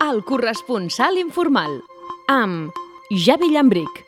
El corresponsal informal, amb Javi Llambric.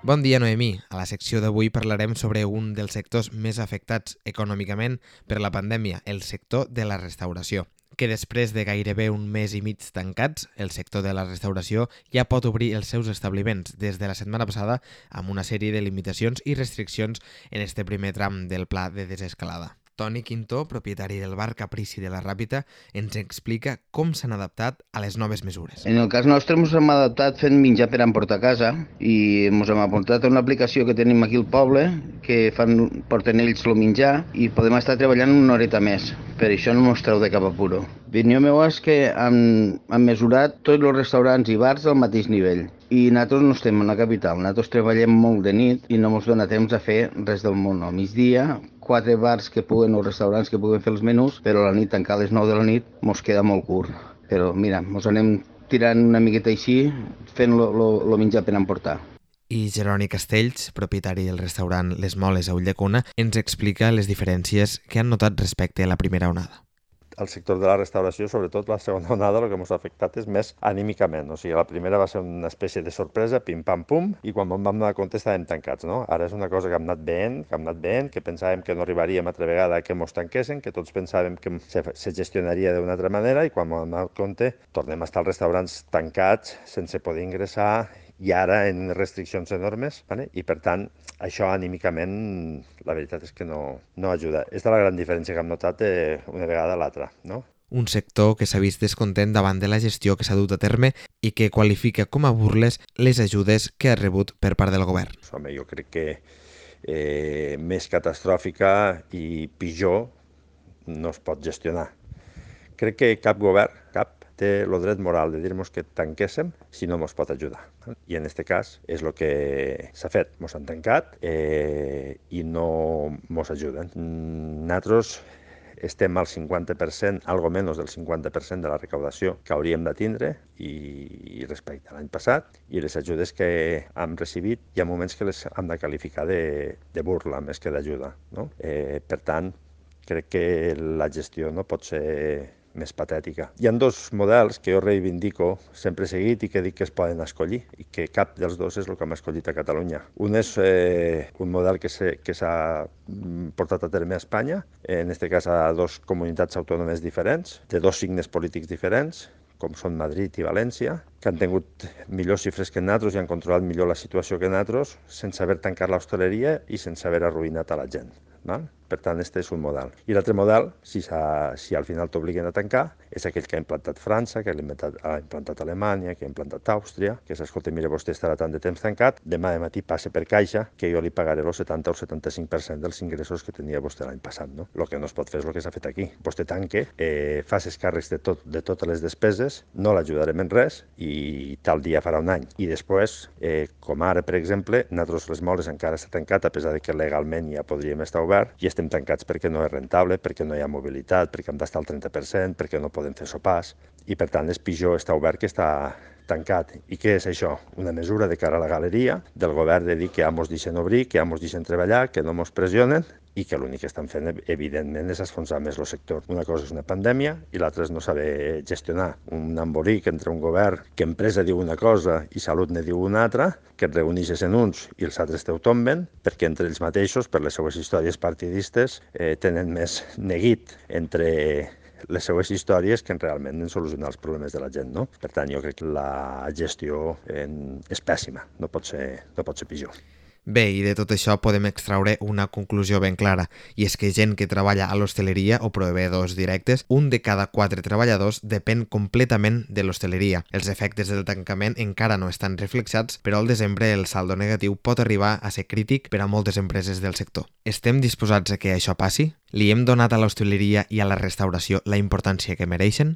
Bon dia, Noemí. A la secció d'avui parlarem sobre un dels sectors més afectats econòmicament per la pandèmia, el sector de la restauració, que després de gairebé un mes i mig tancats, el sector de la restauració ja pot obrir els seus establiments des de la setmana passada amb una sèrie de limitacions i restriccions en este primer tram del pla de desescalada. Toni Quintó, propietari del bar Caprici de la Ràpita, ens explica com s'han adaptat a les noves mesures. En el cas nostre ens hem adaptat fent menjar per emportar a casa i ens hem apuntat a una aplicació que tenim aquí al poble que porten ells el menjar i podem estar treballant una horeta més. Per això no ens treu de cap apuro. L'opinió meva és que han mesurat tots els restaurants i bars al mateix nivell. I nosaltres no estem a la capital, nosaltres treballem molt de nit i no ens dona temps a fer res del món. Al migdia, 4 bars que puguen o restaurants que puguen fer els menús, però a la nit, tancar a les 9 de la nit, ens queda molt curt. Però mira, ens anem tirant una miqueta així, fent el menjar per emportar. I Jeroni Castells, propietari del restaurant Les Moles a Ulldecona, ens explica les diferències que han notat respecte a la primera onada. El sector de la restauració, sobretot la segona onada, el que ens ha afectat és més anímicament. O sigui, la primera va ser una espècie de sorpresa, pim-pam-pum, i quan vam donar compte estàvem tancats, no? Ara és una cosa que hem anat veient, que pensàvem que no arribaríem altra vegada que ens tanquessin, que tots pensàvem que se gestionaria d'una altra manera, i quan vam donar compte tornem a estar als restaurants tancats, sense poder ingressar, i ara en restriccions enormes, ¿vale? I per tant, això anímicament, la veritat és que no ajuda. És la gran diferència que hem notat una vegada a l'altra, no? Un sector que s'ha vist descontent davant de la gestió que s'ha dut a terme i que qualifica com a burles les ajudes que ha rebut per part del govern. Home, jo crec que més catastròfica i pitjor no es pot gestionar. Crec que cap govern, té el dret moral de dir-nos que tanquéssim si no ens pot ajudar. I en aquest cas és el que s'ha fet. Ens han tancat i no ens ajuden. Nosaltres estem al 50%, algo menys del 50% de la recaudació que hauríem de tindre i respecte a l'any passat, i les ajudes que hem recibit hi ha moments que les hem de qualificar de burla més que d'ajuda, no? Per tant, crec que la gestió no pot ser més patètica. Hi ha 2 models que jo reivindico, sempre he seguit i que dic que es poden escollir i que cap dels 2 és el que hem escollit a Catalunya. Un és un model que s'ha portat a terme a Espanya, en aquest cas a 2 comunitats autònomes diferents, de 2 signes polítics diferents, com són Madrid i València, que han tingut millors xifres que nosaltres i han controlat millor la situació que nosaltres, sense haver tancat l'hostaleria i sense haver arruïnat a la gent. Val? Per tant, aquest és un model. I l'altre model, si al final t'obliguen a tancar, és aquell que ha implantat França, que ha implantat Alemanya, que ha implantat Àustria, que s'escolta, mira, vostè estarà tant de temps tancat, demà de matí passe per caixa, que jo li pagaré el 70 o 75% dels ingressos que tenia vostè l'any passat. No? El que no es pot fer és el que s'ha fet aquí. Vostè tanque, fa els càrrecs de totes les despeses, no l'ajudarem en res i tal dia farà un any. I després, com ara, per exemple, nosaltres Les Moles encara està tancat, a pesar que legalment ja podríem estar obert, i estem tancats perquè no és rentable, perquè no hi ha mobilitat, perquè hem d'estar al 30%, perquè no podem fer sopars, i per tant és pitjor estar obert que estar tancat. I què és això? Una mesura de cara a la galeria del govern de dir que ja ens deixen obrir, que ja ens deixen treballar, que no ens pressionen, i que l'únic que estan fent, evidentment, és esfonsar més el sector. Una cosa és una pandèmia i l'altra és no saber gestionar. Un embolic entre un govern que empresa diu una cosa i salut ne diu una altra, que et reuneixes en uns i els altres te ho tomben, perquè entre ells mateixos, per les seues històries partidistes, tenen més neguit entre les seues històries que realment en solucionar els problemes de la gent, no? Per tant, jo crec que la gestió és pèssima, no pot ser pitjor. Bé, i de tot això podem extraure una conclusió ben clara, i és que gent que treballa a l'hostaleria o proveïdors directes, un de cada 4 treballadors depèn completament de l'hostaleria. Els efectes del tancament encara no estan reflexats, però al desembre el saldo negatiu pot arribar a ser crític per a moltes empreses del sector. Estem disposats a que això passi? Li hem donat a l'hostaleria i a la restauració la importància que mereixen?